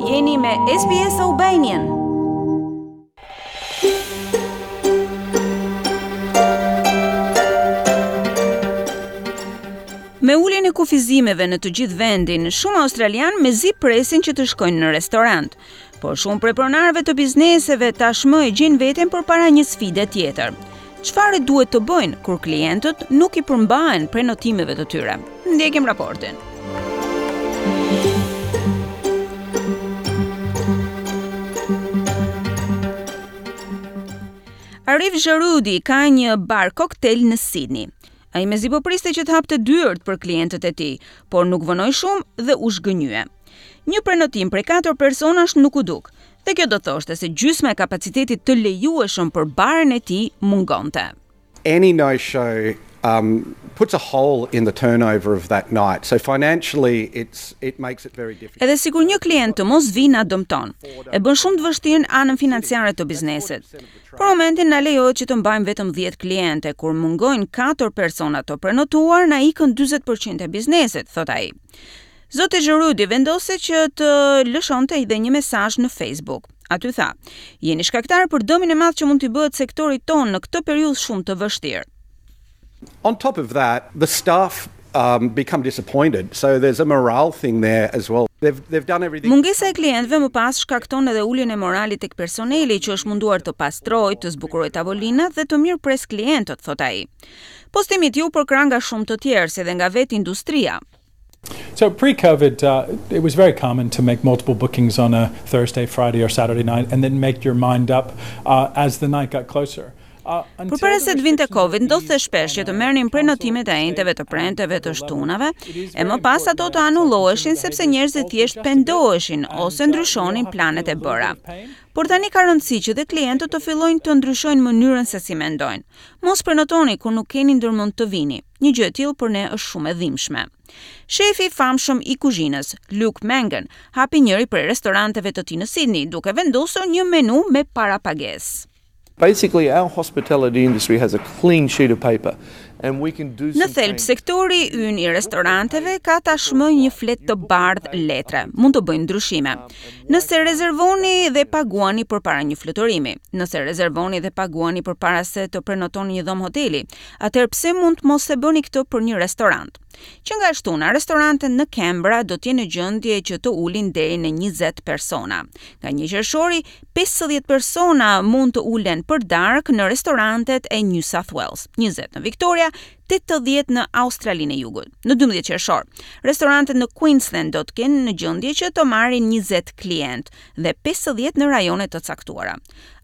Jeni me SBS Albanian. Me uljen e kufizimeve në të gjithë vendin, shumë australianë mezi presin që të shkojnë në restorant. Por shumë prej pronarëve të bizneseve tashmë e gjejnë veten përpara një sfide tjetër. Çfarë duhet të bëjnë kur klientët nuk i përmbahen prenotimeve të tyre? Ndjekim raportin. Arif Jarudi ka një bar koktel në Sydney. Ai mezi po priste që të hapte dyert për klientët e tij, por nuk vonoi shumë dhe u zhgënjye. Një prenotim prej 4 personash nuk u duk, dhe kjo do thoshte se gjysma e kapacitetit të lejueshëm për barin e tij mungonte. Any no-show um, puts a hole in the turnover of that night. So financially it's it makes it very difficult. Edhe sikur një klient të mos vijë na dëmton. E bën shumë të vështirë anën financiare të biznesit. Për momentin na lejohet që të mbajmë vetëm 10 kliente, kur mungojnë 4 persona të prenotuar, na ikën 40% e biznesit, thot ai. Zoti Jarudi vendosi që të lëshonte edhe një mesazh në Facebook. Aty tha, jeni shkaktar për dëmin e madh që mund t'i bëhet sektorit tonë në këtë periudhë shumë të vështirë. On top of that, the staff um, become disappointed. So there's a morale thing there as well. They've, they've done everything. Mungesa e klientëve më pas shkakton edhe uljen e moralit tek personeli që është munduar të pastrojë, të zbukurojë tavolinat dhe të mirëpres klientët, thot ai. Postimi i tij u përkrah nga shumë të tjerë, si edhe nga vetë industria. So pre-COVID, uh, it was very common to make multiple bookings on a Thursday, Friday, or Saturday night, and then make your mind up uh, as the night got closer. Uh, Përpara se të vinte Covid, ndodhte shpesh që të merrnin prenotimet e enjteve, të premteve, të shtunave, e më pas ato të anulloheshin sepse njerëzit thjesht pendoheshin ose ndryshonin planet e bëra. Por tani ka rëndësi që dhe klientët të fillojnë të ndryshojnë mënyrën se si mendojnë. Mos prenotoni kur nuk keni ndërmend të vini. Një gjë e tillë për ne është shumë e dhimbshme. Shefi i famshëm i kuzhinës, Luke Mangan, hapi njëri prej restoranteve të tij në Sydney, duke vendosur një menu me parapagesë. Basically our hospitality industry has a clean sheet of paper and we can do Në thelb, sektori ynë i restoranteve ka tashmë një fletë të bardhë letre. Mund të bëjnë ndryshime. Nëse rezervoni dhe paguani përpara një fluturimi, nëse rezervoni dhe paguani përpara se të prenotoni një dhomë hoteli, atëherë pse mund të mos e bëni këtë për një restorant? Që nga e shtuna, restorantet në Canberra do të jenë në gjendje që të ulin deri në 20 persona. Nga 1 qershori, 50 persona mund të ulen për darkë në restorantet e New South Wales, 20 në Victoria, 80 në Australinë e Jugut. Në 12 qershor, restorantet në Queensland do të kenë në gjendje që të marrin 20 klient dhe 50 në rajone të caktuara.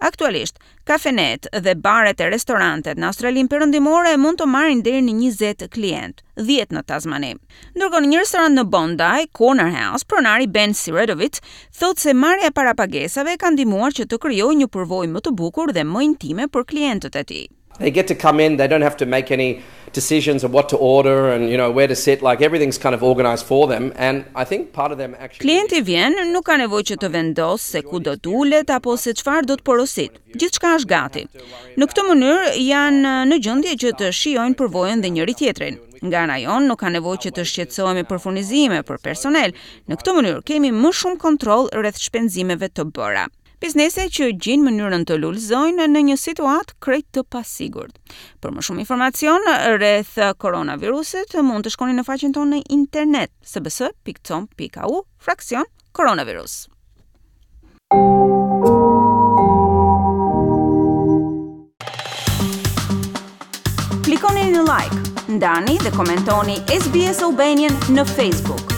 Aktualisht, Kafenet dhe baret e restorantet në Australinë Perëndimore mund të marrin deri në 20 klient, 10 në Tasmani. Ndërkohë në një restorant në Bondi, Corner House, pronari Ben Siredovic thotë se marrja e parapagesave ka ndihmuar që të krijojë një përvojë më të bukur dhe më intime për klientët e tij. They get to come in, they don't have to make any decisions of what to order and you know where to sit like everything's kind of organized for them and I think part of them actually Klienti vjen, nuk ka nevojë që të vendosë se ku do të ulet apo se çfarë do të porosit. Gjithçka është gati. Në këtë mënyrë janë në gjendje që të shijojnë përvojën dhe njëri tjetrin. Nga ana jonë nuk ka nevojë që të shqetësohemi për furnizime, për personel. Në këtë mënyrë kemi më shumë kontroll rreth shpenzimeve të bëra. Biznese që gjejnë mënyrën të lulëzojnë në një situatë krejt të pasigurt. Për më shumë informacion rreth koronavirusit, mund të shkoni në faqen tonë në internet sbs.com.au fraksion koronavirus. Klikoni në like, ndani dhe komentoni SBS Albanian në Facebook.